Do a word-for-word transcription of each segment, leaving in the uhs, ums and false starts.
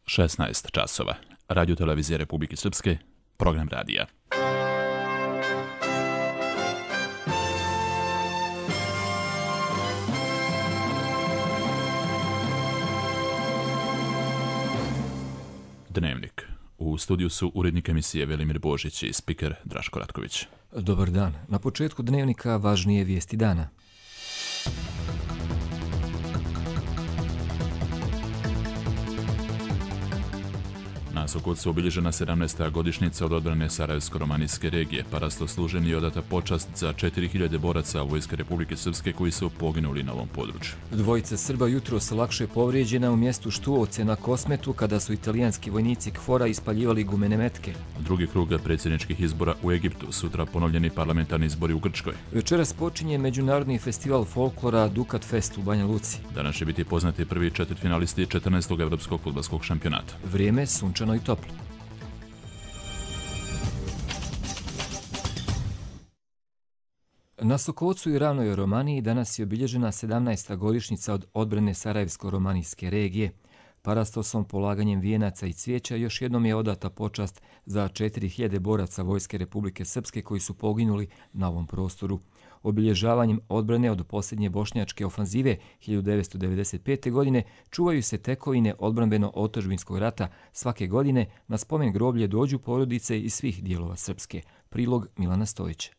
šesnaest časova. Radio televizije Republike Srpske, program radija. Dnevnik. U studiju su urednik emisije Velimir Božić i spiker Draško Ratković. Dobar dan. Na početku dnevnika važnije vijesti dana. Na Sokocu obilježena sedamnaesta godišnjica od odbrane Sarajevsko-romanijske regije. Parastoslužen je odata počast za četiri hiljade boraca Vojske Republike Srpske koji su poginuli na ovom području. Dvojica Srba jutros lakše povrijeđena u mjestu Štuovce na Kosmetu kada su italijanski vojnici KFOR-a ispaljivali gumene metke. Drugi krug predsjedničkih izbora u Egiptu, sutra ponovljeni parlamentarni izbori u Grčkoj. Večeras počinje međunarodni festival folklora Dukat Fest u Banja Luci. Danas će biti poznati prvi četvrtfinalisti četrnaestog evropskog fudbalskog šampionata. Vrijeme sunčano i toplo. Na Sokocu i Ravnoj Romaniji danas je obilježena sedamnaesta godišnjica od odbrane Sarajevsko-romanijske regije. Parastosom, polaganjem vijenaca i cvijeća još jednom je odata počast za četiri hiljade boraca Vojske Republike Srpske koji su poginuli na ovom prostoru. Obilježavanjem odbrane od posljednje bošnjačke ofanzive hiljadu devetsto devedeset pete. godine čuvaju se tekovine odbrambeno-otadžbinskog rata. Svake godine na spomen groblje dođu porodice iz svih dijelova Srpske. Prilog Milana Stojića.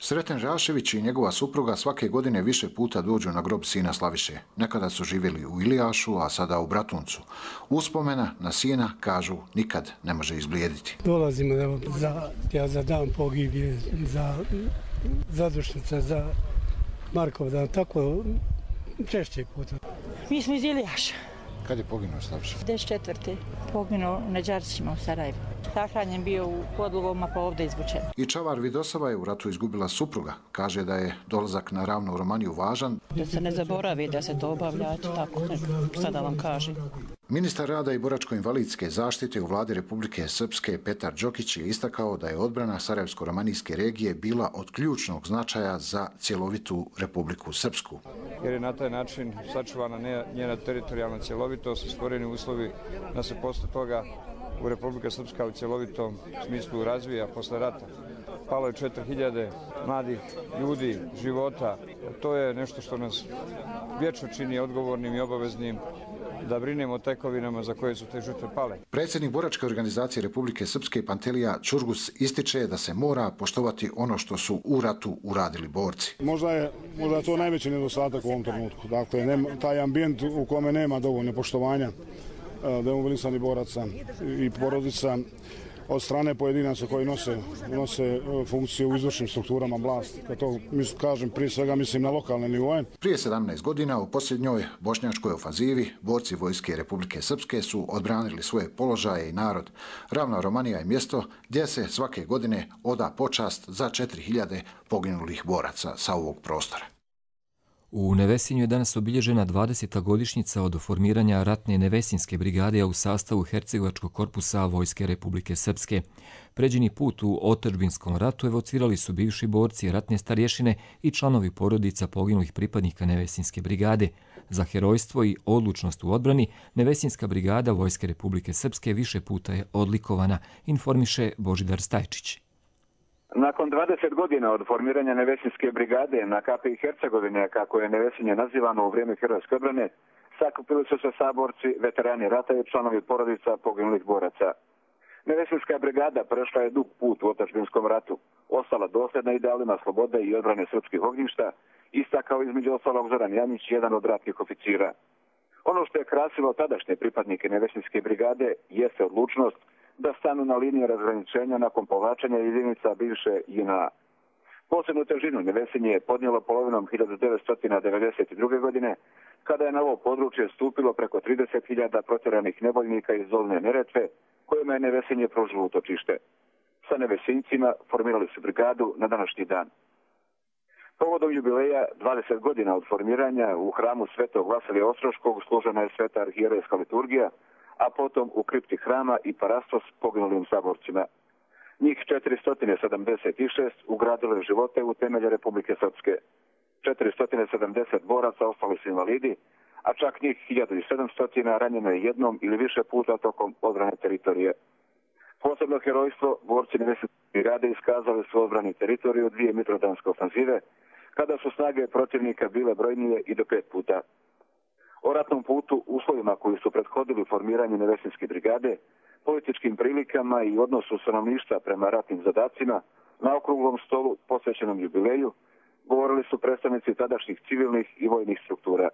Sreten Žašević i njegova supruga svake godine više puta dođu na grob sina Slaviše. Nekada su živjeli u Ilijašu, a sada u Bratuncu. Uspomena na sina, kažu, nikad ne može izblijediti. Dolazimo evo, za, ja za dan pogibije, za zadušnica, za Markovdan, tako češće puta. Mi smo iz Ilijaša. Kad je poginuo Slaviša? devedeset četvrte. Poginuo na Đarćima u Sarajevu. Sahranjen bio u Podlugom, pa ovdje izvučen. I Čavar Vidosava je u ratu izgubila supruga. Kaže da je dolazak na Ravnu Romaniju važan. Da se ne zaboravi da se to obavlja, tako šta da vam kažem. Ministar rada i boračko-invalidske zaštite u vladi Republike Srpske Petar Đokić je istakao da je odbrana Sarajevsko-romanijske regije bila od ključnog značaja za cjelovitu Republiku Srpsku. Jer je na taj način sačuvana njena teritorijalna cjelovitost i stvoreni uslovi da se posle toga u Republika Srpska u cjelovitom smislu razvija posle rata. Palo je četiri hiljade mladih ljudi, života. To je nešto što nas vječno čini odgovornim i obaveznim da brinemo o tekovinama za koje su te žrtve pale. Predsjednik boračke organizacije Republike Srpske Pantelija Čurgus ističe da se mora poštovati ono što su u ratu uradili borci. Možda je, možda je to najveći nedostatak u ovom trenutku. Dakle, nema, taj ambijent u kome nema dovoljno poštovanja demobilisanih boraca i porodica od strane pojedinaca koji nose, nose funkcije u izvršnim strukturama vlasti. Kad to kažem, prije svega mislim na lokalne nivoje. Prije sedamnaest godina u posljednjoj bošnjačkoj ofanzivi borci Vojske Republike Srpske su odbranili svoje položaje i narod. Ravna Romanija je mjesto gdje se svake godine oda počast za četiri hiljade poginulih boraca sa ovog prostora. U Nevesinju je danas obilježena dvadeseta godišnjica od formiranja ratne Nevesinske brigade u sastavu Hercegovačkog korpusa Vojske Republike Srpske. Pređeni put u otadžbinskom ratu evocirali su bivši borci, ratne starješine i članovi porodica poginulih pripadnika Nevesinske brigade. Za herojstvo i odlučnost u odbrani Nevesinska brigada Vojske Republike Srpske više puta je odlikovana, informiše Božidar Stajčić. Nakon dvadeset godina od formiranja Nevesinske brigade na Kapiji Hercegovine, kako je Nevesinje nazivano u vrijeme herojske odbrane, sakupili su se saborci, veterani rata i članovi porodica poginulih boraca. Nevesinska brigada prešla je dug put u otadžbinskom ratu, ostala dosljedna idealima slobode i odbrane srpskih ognjišta, istakao između ostalog Zoran Janić, jedan od ratnih oficira. Ono što je krasilo tadašnje pripadnike Nevesinske brigade jeste odlučnost da stanu na liniji razgraničenja nakon povlačenja jedinica bivše J N A. Posebnu težinu Nevesinje je podnijelo polovinom hiljadu devetsto devedeset druge. godine, kada je na ovo područje stupilo preko trideset hiljada protjeranih nevoljnika iz Dolne Neretve, kojima je Nevesinje pružilo utočište. Sa Nevesincima formirali su brigadu na današnji dan. Povodom jubileja dvadeset godina od formiranja u hramu Svetog Vasilija Ostroškog služena je sveta arhijerejska liturgija, a potom u kripti hrama i parastos poginulim saborcima. Njih četiristo sedamdeset šest ugradilo je živote u temelje Republike Srpske. četiristo sedamdeset boraca ostali su invalidi, a čak njih hiljadu sedamsto ranjeno je jednom ili više puta tokom odbrane teritorije. Posebno herojstvo borci nevesinske brigade iskazali su odbrani teritoriju dvije mitrovdanske ofanzive, kada su snage protivnika bile brojnije i do pet puta. O ratnom putu, uslovima koji su prethodili formiranju nevesinske brigade, političkim prilikama i odnosu stanovništva prema ratnim zadacima, na okruglom stolu posvećenom jubileju, govorili su predstavnici tadašnjih civilnih i vojnih struktura.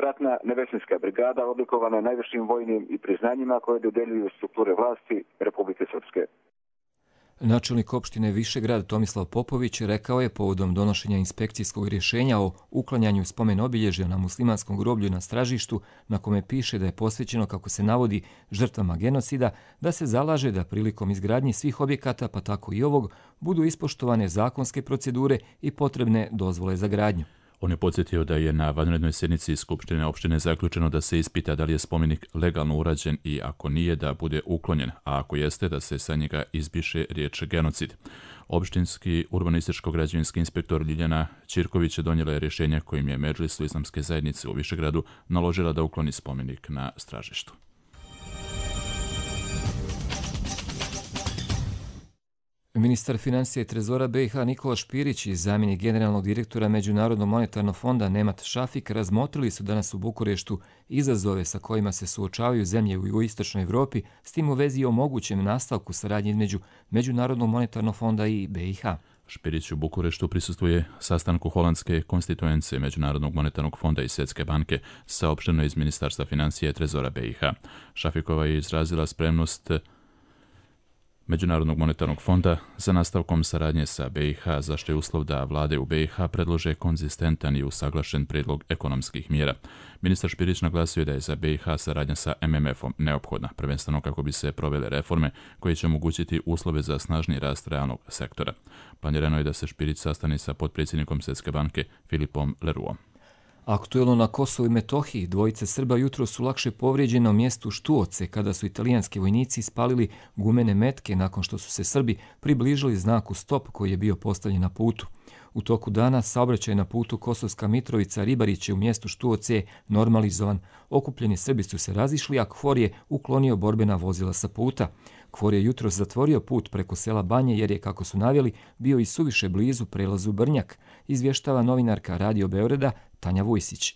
Ratna nevesinska brigada odlikovana je najvišim vojnim i priznanjima koje dodeljuju strukture vlasti Republike Srpske. Načelnik opštine Višegrad Tomislav Popović rekao je povodom donošenja inspekcijskog rješenja o uklanjanju spomen obilježja na muslimanskom groblju na Stražištu, na kome piše da je posvećeno, kako se navodi, žrtvama genocida, da se zalaže da prilikom izgradnje svih objekata, pa tako i ovog, budu ispoštovane zakonske procedure i potrebne dozvole za gradnju. On je podsjetio da je na vanrednoj sjednici Skupštine opštine zaključeno da se ispita da li je spomenik legalno urađen i ako nije da bude uklonjen, a ako jeste da se sa njega izbriše riječ genocid. Opštinski urbanističko-građevinski inspektor Ljiljana Ćirković donijela je rješenje kojim je Medžlisu islamske zajednice u Višegradu naložila da ukloni spomenik na Stražištu. Ministar financija i trezora B i H Nikola Špirić i zamjenik generalnog direktora Međunarodnog monetarnog fonda Nemat Šafik razmotrili su danas u Bukureštu izazove sa kojima se suočavaju zemlje u jugoistočnoj Evropi, s tim u vezi o mogućem nastavku saradnje između Međunarodnog monetarnog fonda i B i H. Špirić u Bukureštu prisustvuje sastanku holandske konstituence Međunarodnog monetarnog fonda i Svjetske banke, saopšteno iz Ministarstva financija i trezora B i H. Šafikova je izrazila spremnost Međunarodnog monetarnog fonda za nastavkom saradnje sa B i H, za što je uslov da vlade u B i H predlože konzistentan i usaglašen prijedlog ekonomskih mjera. Ministar Špirić naglasio da je za B i H saradnja sa M M F-om neophodna, prvenstveno kako bi se provele reforme koje će omogućiti uslove za snažni rast realnog sektora. Planirano je da se Špirić sastane sa potpredsjednikom Svjetske banke Filipom Leruom. Aktuelno na Kosovu i Metohiji dvojice Srba jutro su lakše povrijeđene u mjestu Štuoce kada su italijanski vojnici spalili gumene metke nakon što su se Srbi približili znaku stop koji je bio postavljen na putu. U toku dana saobraćaj na putu Kosovska Mitrovica-Ribariće u mjestu Štuoce je normalizovan. Okupljeni Srbi su se razišli, a KFOR je uklonio borbena vozila sa puta. KFOR je jutro zatvorio put preko sela Banje jer je, kako su naveli, bio i suviše blizu prelazu Brnjak, izvještava novinarka Radio Beograda Tanja Vujsić.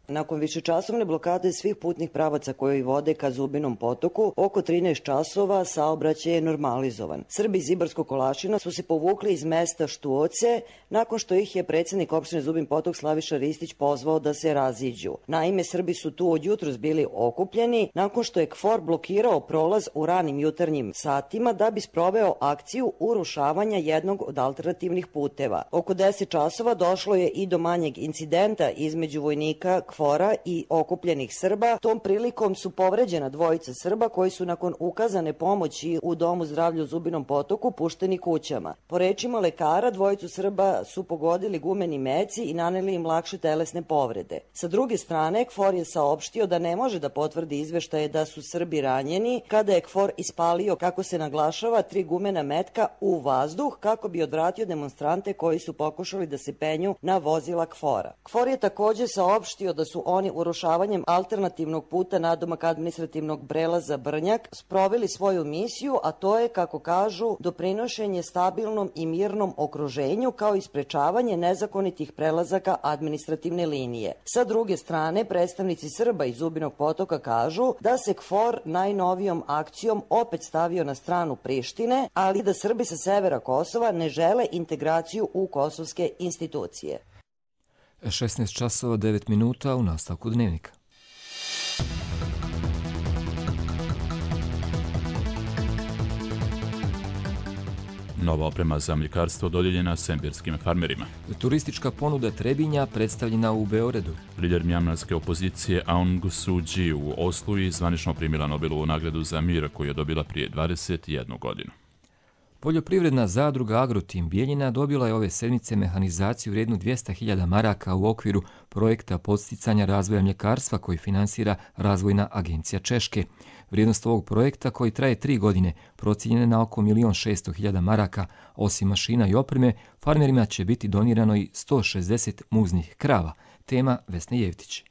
Nakon višečasovne blokade svih putnih pravaca koji vode ka Zubinom potoku, oko trinaest časova saobraćaj je normalizovan. Srbi iz Ibarskog Kolašina su se povukli iz mesta Štuoce nakon što ih je predsjednik opštine Zubin potok Slaviša Ristić pozvao da se raziđu. Naime, Srbi su tu od jutros bili okupljeni nakon što je KFOR blokirao prolaz u ranim jutarnjim satima da bi sproveo akciju urušavanja jednog od alternativnih puteva. Oko deset časova došlo je i do manjeg incidenta između vojnika KFOR-a i okupljenih Srba. Tom prilikom su povređena dvojica Srba koji su nakon ukazane pomoći u domu zdravlja u Zubinom potoku pušteni kućama. Po rečima lekara, dvojicu Srba su pogodili gumeni meci i naneli im lakše telesne povrede. Sa druge strane, KFOR je saopštio da ne može da potvrdi izveštaje da su Srbi ranjeni kada je KFOR ispalio, kako se naglašava, tri gumena metka u vazduh kako bi odvratio demonstrante koji su pokušali da se penju na vozila KFOR-a. KFOR je također saopštio da su oni urušavanjem alternativnog puta nadomak administrativnog prelaza Brnjak sproveli svoju misiju, a to je, kako kažu, doprinošenje stabilnom i mirnom okruženju kao i sprečavanje nezakonitih prelazaka administrativne linije. Sa druge strane, predstavnici Srba iz Zubinog potoka kažu da se KFOR najnovijom akcijom opet stavio na stranu Prištine, ali da Srbi sa severa Kosova ne žele integraciju u kosovske institucije. šesnaest časova devet minuta u nastavku dnevnika. Nova oprema za mljekarstvo dodijeljena sembirskim farmerima. Turistička ponuda Trebinja predstavljena u Beogradu. Lider mjanmarske opozicije Aung Suu Kyi u Oslu je zvanično primila Nobelovu nagradu za mir koju je dobila prije dvadeset jednu godinu. Poljoprivredna zadruga Agrotim Bijeljina dobila je ove sedmice mehanizaciju vrijednu dvjesto hiljada maraka u okviru projekta podsticanja razvoja mljekarstva koji finansira Razvojna agencija Češke. Vrijednost ovog projekta, koji traje tri godine, procijenjena je na oko milion šesto hiljada maraka. Osim mašina i opreme, farmerima će biti donirano i sto šezdeset muznih krava. Tema Vesne Jevtić.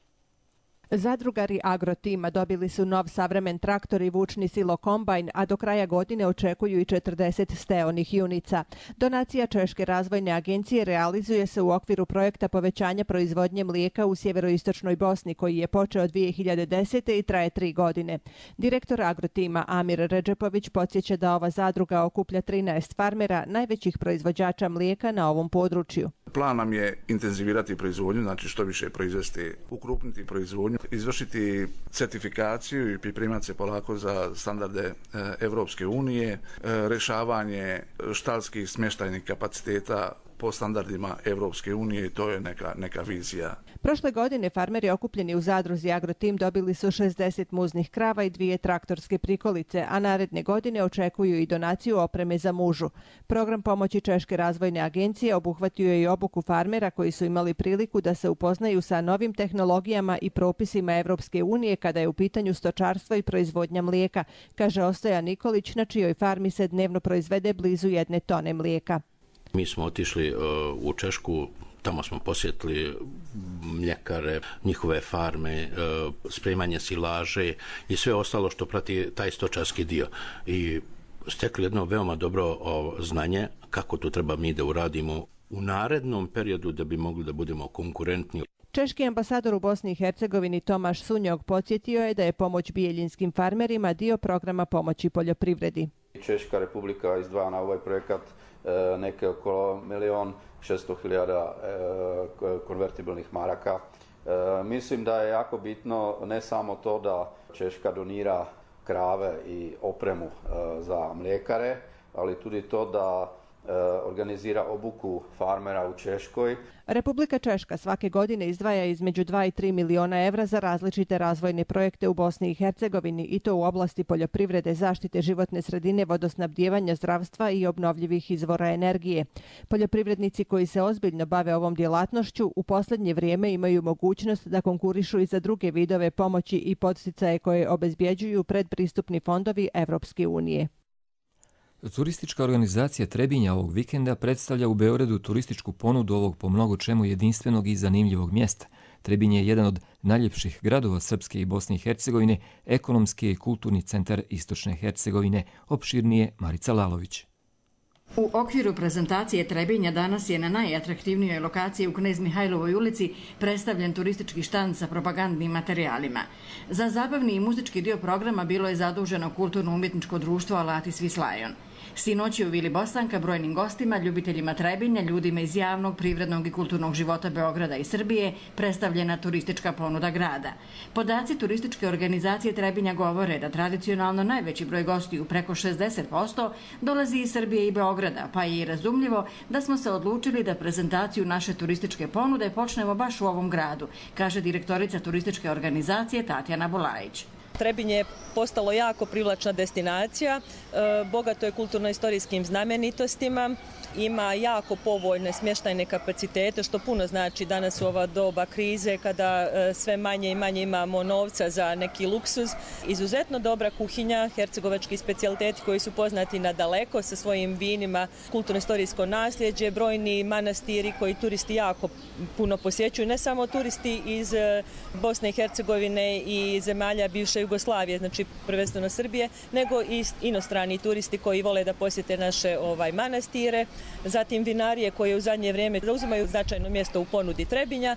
Zadrugari Agrotima dobili su nov savremen traktor i vučni silo kombajn, a do kraja godine očekuju i četrdeset steonih junica. Donacija Češke razvojne agencije realizuje se u okviru projekta povećanja proizvodnje mlijeka u sjeveroistočnoj Bosni, koji je počeo dvije hiljade desete. i traje tri godine. Direktor Agrotima Amir Redžepović podsjeća da ova zadruga okuplja trinaest farmera, najvećih proizvođača mlijeka na ovom području. Plan nam je intenzivirati proizvodnju, znači što više proizvesti, ukrupniti proizvodnju, izvršiti certifikaciju i pripremati se polako za standarde Evropske unije, rješavanje štalskih smještajnih kapaciteta po standardima Evropske unije i to je neka, neka vizija. Prošle godine farmeri okupljeni u zadruzi Agrotim dobili su šezdeset muznih krava i dvije traktorske prikolice, a naredne godine očekuju i donaciju opreme za mužu. Program pomoći Češke razvojne agencije obuhvatio je i obuku farmera koji su imali priliku da se upoznaju sa novim tehnologijama i propisima Evropske unije kada je u pitanju stočarstvo i proizvodnja mlijeka, kaže Ostojan Nikolić, na čijoj farmi se dnevno proizvede blizu jedne tone mlijeka. Mi smo otišli uh, u Češku, tamo smo posjetili mljekare, njihove farme, uh, spremanje silaže i sve ostalo što prati taj stočarski dio. I stekli jedno veoma dobro uh, znanje kako to treba mi da uradimo u narednom periodu da bi mogli da budemo konkurentni. Češki ambasador u Bosni i Hercegovini Tomaš Sunjog podsjetio je da je pomoć bijeljinskim farmerima dio programa pomoći poljoprivredi. Češka republika izdvaja na ovaj projekat neke oko milion šesto hiljada konvertibilnih maraka. Mislim da je jako bitno ne samo to da Češka donira krave i opremu za mlijekare, ali tudi to da organizira obuku farmera u Češkoj. Republika Češka svake godine izdvaja između dva i tri miliona evra za različite razvojne projekte u Bosni i Hercegovini i to u oblasti poljoprivrede, zaštite životne sredine, vodosnabdijevanja, zdravstva i obnovljivih izvora energije. Poljoprivrednici koji se ozbiljno bave ovom djelatnošću u posljednje vrijeme imaju mogućnost da konkurišu i za druge vidove pomoći i podsticaje koje obezbjeđuju predpristupni fondovi Evropske unije. Turistička organizacija Trebinja ovog vikenda predstavlja u Beogradu turističku ponudu ovog po mnogo čemu jedinstvenog i zanimljivog mjesta. Trebinje je jedan od najljepših gradova Srpske i Bosne i Hercegovine, ekonomski i kulturni centar Istočne Hercegovine, opširnije Marica Lalović. U okviru prezentacije Trebinja danas je na najatraktivnijoj lokaciji u Knez Mihajlovoj ulici predstavljen turistički štand sa propagandnim materijalima. Za zabavni i muzički dio programa bilo je zaduženo kulturno-umjetničko društvo Alati Svislajon. Sinoć je u Vili Bosanka brojnim gostima, ljubiteljima Trebinja, ljudima iz javnog, privrednog i kulturnog života Beograda i Srbije predstavljena turistička ponuda grada. Podaci turističke organizacije Trebinja govore da tradicionalno najveći broj gostiju, preko šezdeset posto, dolazi iz Srbije i Beograda, pa je i razumljivo da smo se odlučili da prezentaciju naše turističke ponude počnemo baš u ovom gradu, kaže direktorica turističke organizacije Tatjana Bulajić. Trebinje je postalo jako privlačna destinacija, bogato je kulturno-istorijskim znamenitostima, ima jako povoljne smještajne kapacitete, što puno znači danas u ova doba krize kada sve manje i manje imamo novca za neki luksuz. Izuzetno dobra kuhinja, hercegovački specijaliteti koji su poznati na daleko sa svojim vinima, kulturno-istorijsko nasljeđe, brojni manastiri koji turisti jako puno posjećuju, ne samo turisti iz Bosne i Hercegovine i zemalja bivše Jugoslavije, znači prvenstveno Srbije, nego i inostrani turisti koji vole da posjete naše ovaj manastire. Zatim vinarije koje u zadnje vrijeme zauzimaju značajno mjesto u ponudi Trebinja.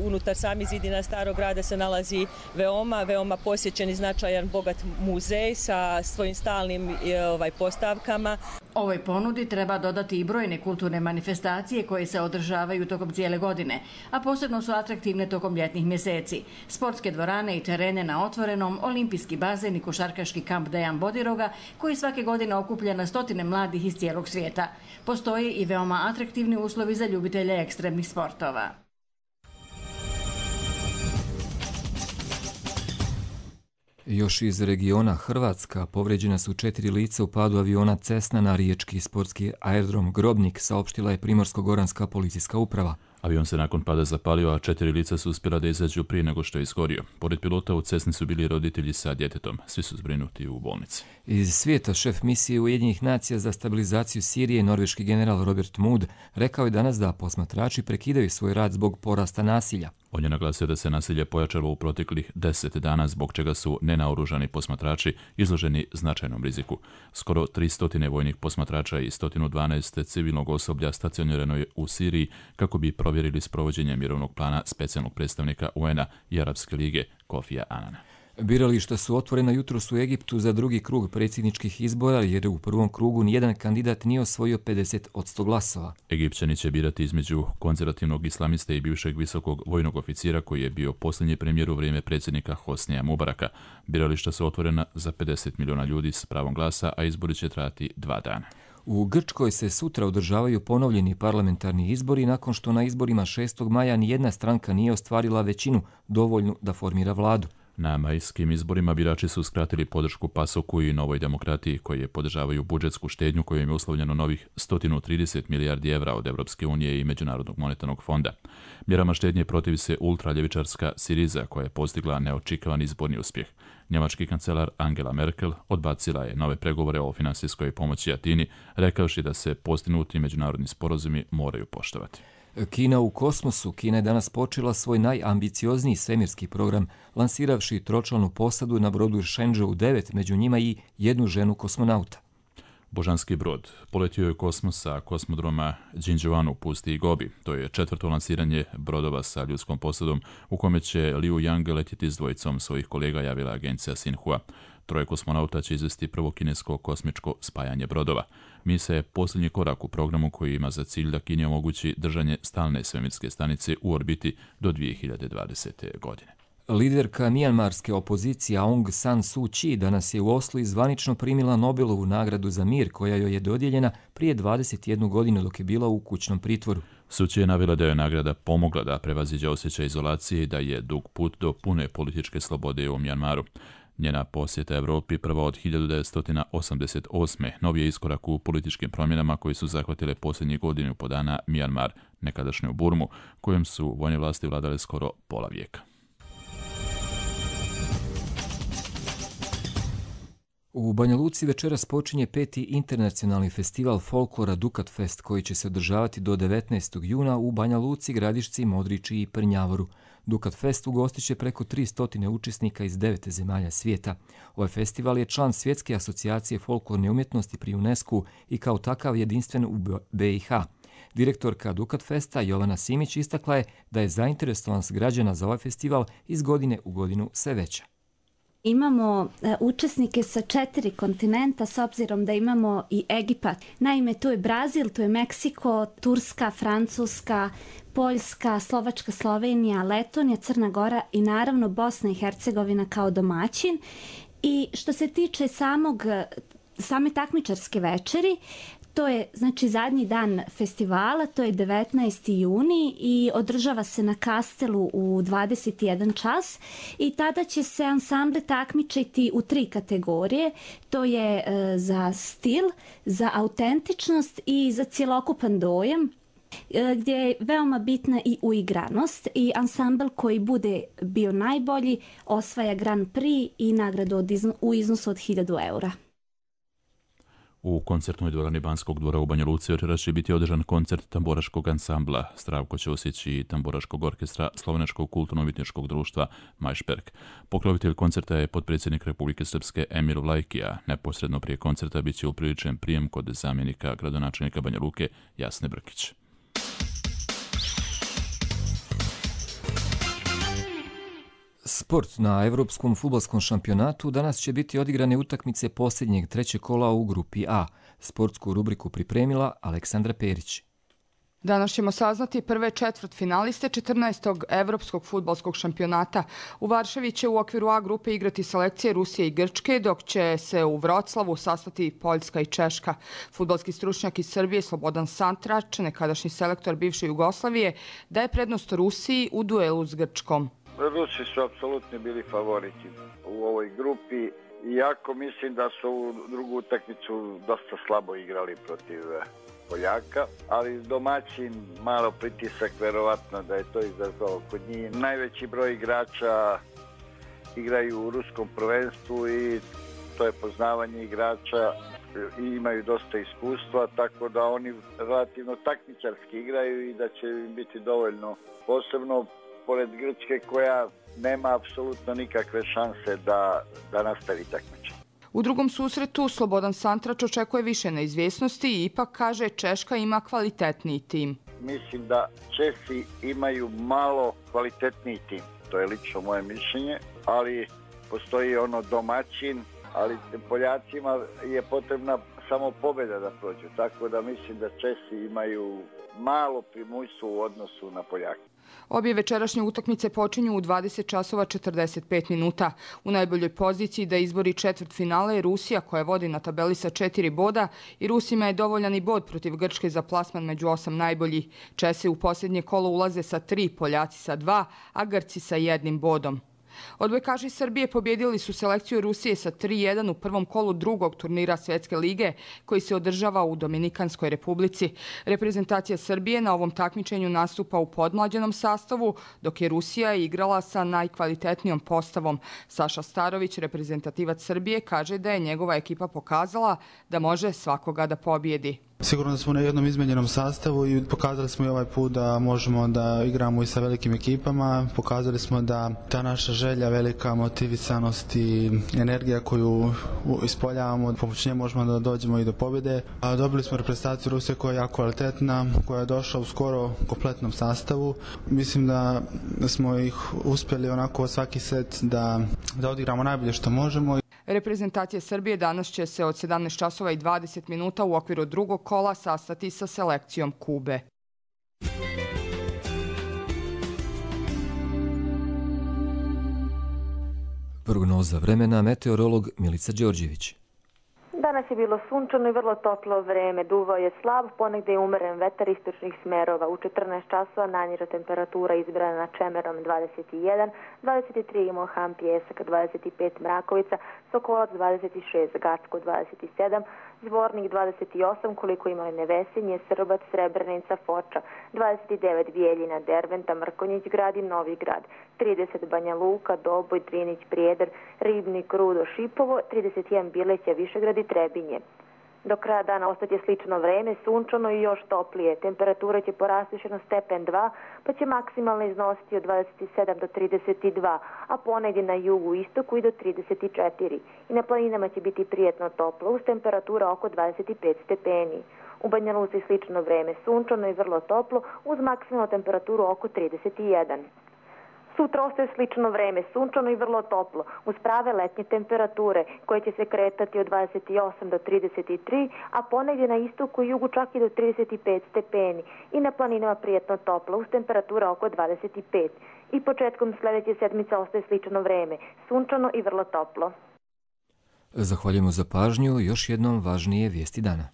Unutar sami zidina Starog grada se nalazi veoma, veoma posjećen i značajan bogat muzej sa svojim stalnim ovaj, postavkama. Ovoj ponudi treba dodati i brojne kulturne manifestacije koje se održavaju tokom cijele godine, a posebno su atraktivne tokom ljetnih mjeseci. Sportske dvorane i terene na otvorenom, olimpijski bazen i košarkaški kamp Dejan Bodiroga, koji svake godine okuplja na stotine mladih iz cijelog svijeta. Postoje i veoma atraktivni uslovi za ljubitelje ekstremnih sportova. Još iz regiona Hrvatska povređena su četiri lica u padu aviona Cessna na riječki sportski aerodrom Grobnik, saopštila je Primorsko-goranska policijska uprava. Avion se nakon pada zapalio, a četiri lica su uspjela da izađu prije nego što je izgorio. Pored pilota u Cessni su bili roditelji sa djetetom. Svi su zbrinuti u bolnici. Iz svijeta šef misije Ujedinjenih nacija za stabilizaciju Sirije, norveški general Robert Mood, rekao je danas da posmatrači prekidaju svoj rad zbog porasta nasilja. On je naglasio da se nasilje pojačalo u proteklih deset dana, zbog čega su nenaoružani posmatrači izloženi značajnom riziku. Skoro tristo vojnih posmatrača i sto dvanaest civilnog osoblja stacionirano je u Siriji kako bi provjerili sprovođenje mirovnog plana specijalnog predstavnika U N-a i Arapske lige Kofija Anana. Birališta su otvorena jutros u Egiptu za drugi krug predsjedničkih izbora, jer u prvom krugu nijedan kandidat nije osvojio pedeset posto glasova. Egipćani će birati između konzervativnog islamiste i bivšeg visokog vojnog oficira koji je bio posljednji premijer u vrijeme predsjednika Hosnija Mubaraka. Birališta su otvorena za pedeset milijuna ljudi s pravom glasa, a izbori će trajati dva dana. U Grčkoj se sutra održavaju ponovljeni parlamentarni izbori nakon što na izborima šestog maja nijedna stranka nije ostvarila većinu dovoljnu da formira vladu. Na majskim izborima birači su skratili podršku Pasoku i Novoj demokratiji, koji podržavaju budžetsku štednju kojom je uslovljeno novih sto trideset milijardi evra od Europske unije i Međunarodnog monetarnog fonda. Mjerama štednje protivi se ultraljevičarska Siriza, koja je postigla neočekivani izborni uspjeh. Njemački kancelar Angela Merkel odbacila je nove pregovore o finansijskoj pomoći Atini, rekavši da se postignuti međunarodni sporazumi moraju poštovati. Kina u kosmosu. Kina je danas počela svoj najambiciozniji svemirski program, lansiravši tročlanu posadu na brodu Shenzhou devet, među njima i jednu ženu kosmonauta. Božanski brod poletio je kosmos sa kosmodroma Jinjiang u pustiji Gobi. To je četvrto lansiranje brodova sa ljudskom posadom, u kome će Liu Yang letjeti s dvojicom svojih kolega, javila agencija Xinhua. Troje kosmonauta će izvesti prvo kinesko kosmičko spajanje brodova. Misija je posljednji korak u programu koji ima za cilj da Kini omogući držanje stalne svemirske stanice u orbiti do dvije hiljade dvadesete. godine. Liderka mijanmarske opozicije Aung San Suu Kyi danas je u Oslu zvanično primila Nobelovu nagradu za mir, koja joj je dodijeljena prije dvadeset jednu godinu dok je bila u kućnom pritvoru. Suu Kyi je navela da je nagrada pomogla da prevaziđe osjećaj izolacije i da je dug put do pune političke slobode u Mijanmaru. Njena posjeta Evropi, prva od hiljadu devetsto osamdeset osme. novi je iskorak u političkim promjenama koji su zahvatile posljednjih godinu po dana Mijanmar, nekadašnju Burmu, kojom su vojne vlasti vladale skoro pola vijeka. U Banja Luci večeras počinje peti internacionalni festival folklora Dukat Fest, koji će se održavati do devetnaestog juna u Banja Luci, Gradišci, Modriči i Prnjavoru. Dukat Fest ugostit će preko tristo učesnika iz devet zemalja svijeta. Ovaj festival je član Svjetske asocijacije folklorne umjetnosti pri UNESCO i kao takav jedinstven u B i H. Direktorka Dukat Festa Jovana Simić istakla je da je zainteresovanost građana za ovaj festival iz godine u godinu sve veća. Imamo e, učesnike sa četiri kontinenta, s obzirom da imamo i Egipat. Naime, tu je Brazil, tu je Meksiko, Turska, Francuska, Poljska, Slovačka, Slovenija, Letonija, Crna Gora i naravno Bosna i Hercegovina kao domaćin. I što se tiče samog, same takmičarske večeri, to je znači zadnji dan festivala, to je devetnaesti juni i održava se na Kastelu u dvadeset jedan čas i tada će se ansamble takmičiti u tri kategorije. To je e, za stil, za autentičnost i za cjelokupan dojam, e, gdje je veoma bitna i uigranost i ansambl koji bude bio najbolji osvaja Grand Prix i nagradu od izno, u iznosu od hiljadu eura. U koncertnoj dvorani Banskog dvora u Banja Luci večeras će biti održan koncert tamboraškog ansambla. Zdravko će osjeći tamboraškog orkestra Slovenačkog kulturno-umjetničkog društva Majšperk. Pokrovitelj koncerta je potpredsjednik Republike Srpske Emir Vlajkija. Neposredno prije koncerta bit će upriličen prijem kod zamjenika gradonačelnika Banja Luke Jasne Brkić. Sport. Na Evropskom fudbalskom šampionatu danas će biti odigrane utakmice posljednjeg trećeg kola u grupi A. Sportsku rubriku pripremila Aleksandra Perić. Danas ćemo saznati prve četvrt finaliste četrnaestog Evropskog fudbalskog šampionata. U Varšavi će u okviru A grupe igrati selekcije Rusije i Grčke, dok će se u Vroclavu sastati Poljska i Češka. Fudbalski stručnjak iz Srbije Slobodan Santrač, nekadašnji selektor bivše Jugoslavije, daje prednost Rusiji u duelu s Grčkom. Rusi su apsolutno bili favoriti u ovoj grupi, iako mislim da su u drugu utakmicu dosta slabo igrali protiv Poljaka, ali domaćin malo pritisak, verovatno da je to izazvalo kod njih. Najveći broj igrača igraju u ruskom prvenstvu i to je poznavanje igrača i imaju dosta iskustva, tako da oni relativno takmičarski igraju i da će im biti dovoljno, posebno pored Grčke koja nema apsolutno nikakve šanse da, da nastavi takmičenje. U drugom susretu Slobodan Santrač očekuje više neizvjesnosti i ipak kaže Češka ima kvalitetniji tim. Mislim da Česi imaju malo kvalitetniji tim, to je lično moje mišljenje, ali postoji ono domaćin, ali Poljacima je potrebna samo pobjeda da prođu, tako da mislim da Česi imaju malo primućstvo u odnosu na Poljake. Obje večerašnje utakmice počinju u dvadeset časova četrdeset pet minuta. U najboljoj poziciji da izbori četvrtfinale je Rusija koja vodi na tabeli sa četiri boda i Rusima je dovoljan i bod protiv Grčke za plasman među osam najboljih. Česi u posljednje kolo ulaze sa tri, Poljaci sa dva, a Grci sa jednim bodom. Odbojkaši Srbije pobjedili su selekciju Rusije sa tri jedan u prvom kolu drugog turnira Svjetske lige koji se održava u Dominikanskoj republici. Reprezentacija Srbije na ovom takmičenju nastupa u podmlađenom sastavu, dok je Rusija igrala sa najkvalitetnijom postavom. Saša Starović, reprezentativac Srbije, kaže da je njegova ekipa pokazala da može svakoga da pobjedi. Sigurno da smo na jednom izmenjenom sastavu i pokazali smo i ovaj put da možemo da igramo i sa velikim ekipama. Pokazali smo da ta naša želja, velika motivisanost i energija koju ispoljavamo, pomoć nje možemo da dođemo i do pobjede. A dobili smo reprezentaciju Rusije koja je jako kvalitetna, koja je došla u skoro kompletnom sastavu. Mislim da smo ih uspjeli onako svaki set da, da odigramo najbolje što možemo. Reprezentacija Srbije danas će se od sedamnaest časova i dvadeset minuta u okviru drugog kola sastati sa selekcijom Kube. Prognoza vremena, meteorolog Milica Đorđević. Danas je bilo sunčano i vrlo toplo vreme. Duvao je slab, ponegde je umeren vetar istočnih smerova. U četrnaest časova najniža temperatura izbrana na Čemerom dvadeset jedan, dvadeset tri Mohan Pjesak, dvadeset pet Mrakovica, Sokolac dvadeset šest, Gacko dvadeset sedam, Zvornik dvadeset osam, koliko ima Nevesinje, Srbac, Srebrenica, Foča, dvadeset devet Bijeljina, Derventa, Mrkonjić grad i Novi grad, trideset Banja Luka, Doboj, Drinić, Prijedor, Ribnik, Rudo, Šipovo, trideset jedan Bileća, Višegrad i Trebinje. Do kraja dana ostaće slično vreme, sunčano i još toplije. Temperatura će porasti još jedno stepen dva, pa će maksimalno iznositi od dvadeset sedam do trideset dva, a ponegdje na jugu i istoku i do trideset četiri. I na planinama će biti prijetno toplo, uz temperatura oko dvadeset pet stepeni. U Banja Luci slično vreme, sunčano i vrlo toplo, uz maksimalnu temperaturu oko trideset jedan. Sutra ostaje slično vreme, sunčano i vrlo toplo, uz prave letnje temperature koje će se kretati od dvadeset osam do trideset tri, a ponegdje na istoku i jugu čak i do trideset pet stepeni i na planinama prijetno toplo, uz temperatura oko dvadeset pet. I početkom sljedeće sedmice ostaje slično vreme, sunčano i vrlo toplo. Zahvaljujemo za pažnju, još jednom važnije vijesti dana.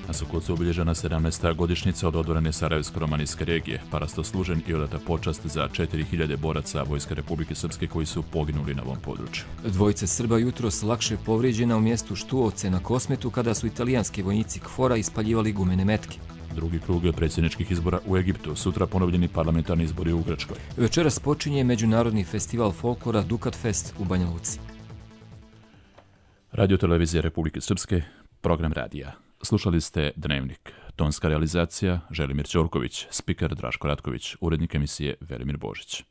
Na Sokolcu je obilježena sedamnaesta godišnjica od odbrane Sarajevsko-romanijske regije. Parastoslužen i odata počast za četiri hiljade boraca Vojske Republike Srpske koji su poginuli na ovom području. Dvojice Srba jutros lakše povrijeđena u mjestu Štuovce na Kosmetu kada su italijanski vojnici KFOR-a ispaljivali gumene metke. Drugi krug predsjedničkih izbora u Egiptu, sutra ponovljeni parlamentarni izbori u Grčkoj. Večeras počinje Međunarodni festival folklora Dukat Fest u Banja Luci. Radio televizija Republike Srpske, program radija. Slušali ste Dnevnik. Tonska realizacija Želimir Ćorković, spiker Draško Ratković, urednik emisije Velimir Božić.